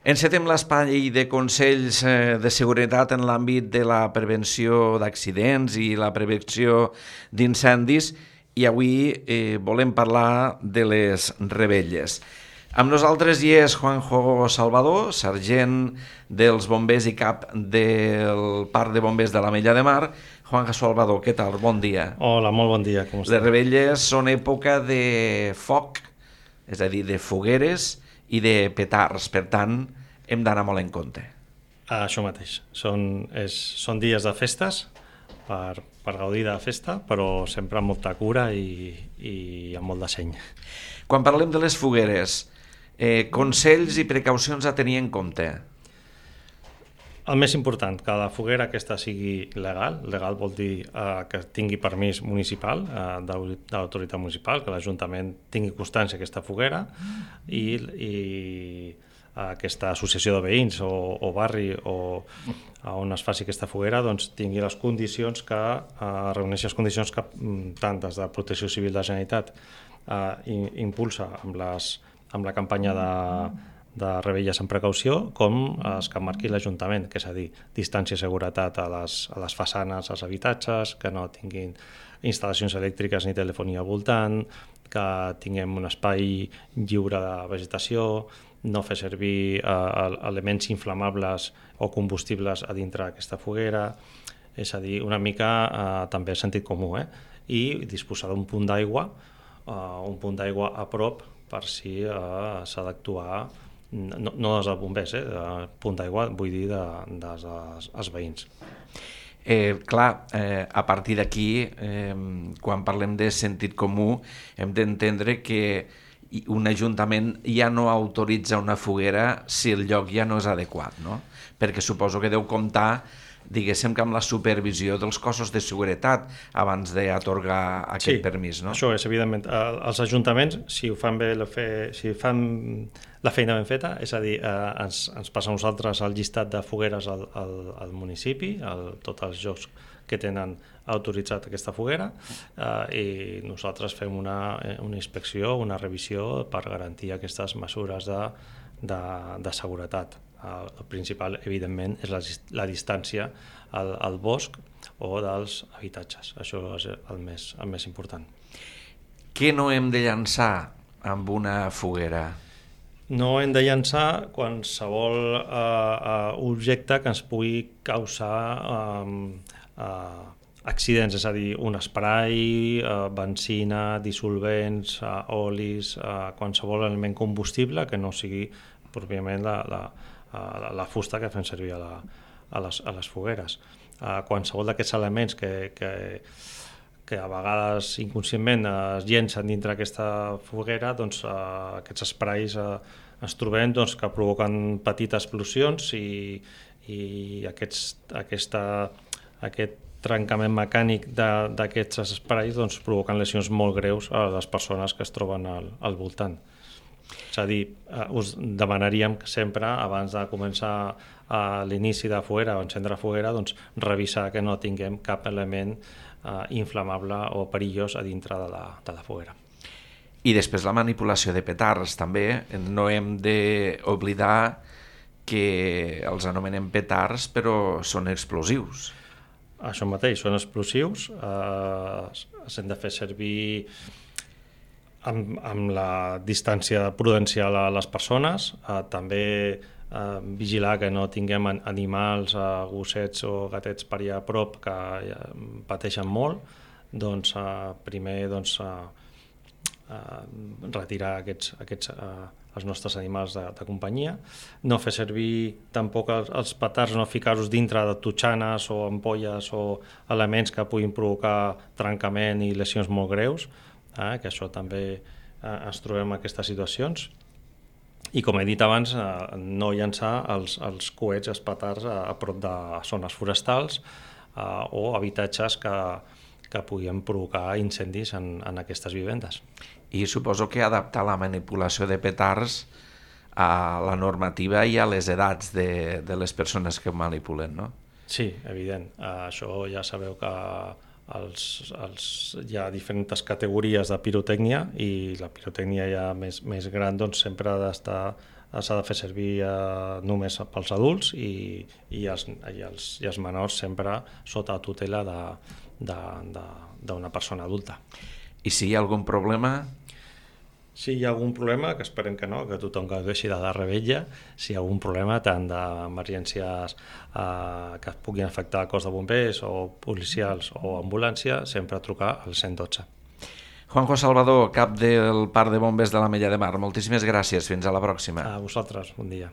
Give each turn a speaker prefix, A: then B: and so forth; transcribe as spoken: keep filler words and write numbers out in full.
A: Encetem l'espai de consells de seguretat en l'àmbit de la prevenció d'accidents i la prevenció d'incendis i avui eh, volem parlar de les revetlles. Amb nosaltres hi és Juanjo Salvador, sergent dels bombers i cap del Parc de Bombers de l'Ametlla de Mar. Juanjo Salvador, què tal? Bon dia.
B: Hola, molt bon dia. Com
A: Les revetlles són època de foc, és a dir, de fogueres i de petards, per tant, hem d'anar molt en compte.
B: Ah, això mateix. Són, és, són dies de festes per, per gaudir de la festa, però sempre amb molta cura i, i amb molt de seny.
A: Quan parlem de les fogueres, eh, consells i precaucions a tenir en compte?
B: El més important, que la foguera aquesta sigui legal. Legal vol dir eh, que tingui permís municipal, eh, de l'autoritat municipal, que l'Ajuntament tingui constància d'aquesta foguera i, i aquesta associació de veïns o, o barri o on es faci aquesta foguera doncs, tingui les condicions que eh, reuneixi les condicions que tant des de Protecció Civil de la Generalitat eh, impulsa amb, les, amb la campanya de, de revetlles amb precaució, com els que marqui l'Ajuntament, que és a dir, distància i seguretat a les, a les façanes, als habitatges, que no tinguin instal·lacions elèctriques ni telefonia al voltant, que tinguem un espai lliure de vegetació, no fer servir eh, elements inflamables o combustibles a dintre d'aquesta foguera, és a dir, una mica eh, també sentit comú, eh? I disposar d'un punt d'aigua, eh, un punt d'aigua a prop per si eh, s'ha d'actuar, no, no des dels bombers, eh? De punt d'aigua vull dir de, dels els veïns.
A: Eh, clar, eh, a partir d'aquí, eh, quan parlem de sentit comú, hem d'entendre que un ajuntament ja no autoritza una foguera si el lloc ja no és adequat, no? Perquè suposo que deu comptar, diguéssim, que amb la supervisió dels cossos de seguretat abans d'atorgar aquest
B: sí,
A: permís, no?
B: Això és, evidentment. Els ajuntaments, si ho fan bé, la fe, si fan la feina ben feta, és a dir, eh, ens, ens passa a nosaltres el llistat de fogueres al, al, al municipi, el, tots els llocs que tenen autoritzat aquesta foguera, eh, i nosaltres fem una, una inspecció, una revisió per garantir aquestes mesures de, de, de seguretat. El principal, evidentment, és la, la distància al, al bosc o dels habitatges. Això és el més, el més important.
A: Què no hem de llançar amb una foguera?
B: No hem de llançar qualsevol eh, eh, objecte que ens pugui causar eh, eh, accidents, és a dir, un spray, eh, benzina, dissolvents, eh, olis, eh, qualsevol element combustible que no sigui pròpiament la, la, la, la fusta que fem servir a, la, a, les, a les fogueres. Eh, qualsevol d'aquests elements que, que, que a vegades inconscientment es llencen dintre aquesta foguera, doncs eh, aquests sprays eh, ens trobem doncs, que provoquen petites explosions i, i aquests, aquesta, aquest trencament mecànic d'aquests sprays doncs, provoquen lesions molt greus a les persones que es troben al, al voltant. És a dir, eh, us demanaríem que sempre, abans de començar a l'inici de foguera o encendre foguera, doncs, revisar que no tinguem cap element eh, inflamable o perillós a dintre de la, de la foguera.
A: I després la manipulació de petards, també. No hem d'oblidar que els anomenem petards, però són explosius.
B: Això mateix, són explosius, eh, s'han de fer servir amb, amb la distància prudencial a les persones, eh, també eh, vigilar que no tinguem animals, eh, gossets o gatets per allà a prop que eh, pateixen molt, doncs eh, primer doncs, eh, eh, retirar aquests, aquests eh, els nostres animals de, de companyia, no fer servir tampoc els, els petards, no ficar-los dintre de totxanes o ampolles o elements que puguin provocar trencament i lesions molt greus, eh, que això també eh, ens trobem en aquestes situacions. I com he dit abans, eh, no llançar els, els coets, els petards a, a prop de zones forestals eh, o habitatges que, que puguin provocar incendis en, en aquestes vivendes.
A: I suposo que adaptar la manipulació de petards a la normativa i a les edats de, de les persones que manipulen, no?
B: Sí, evident. Uh, això ja sabeu que els, els, hi ha diferents categories de pirotècnia i la pirotècnia ja més, més gran doncs, sempre ha d'estar s'ha de fer servir eh, només pels adults i, i, els, i, els, i els menors sempre sota tutela d'una persona adulta.
A: I si hi ha algun problema?
B: Si hi ha algun problema, que esperem que no, que tothom gaudeixi de la revetlla, si hi ha algun problema tant d'emergències eh, que puguin afectar el cos de bombers o policials o ambulància, sempre trucar al cent dotze.
A: Juanjo Salvador, cap del Parc de Bombers de l'Ametlla de Mar, moltíssimes gràcies. Fins a la pròxima.
B: A vosaltres, bon dia.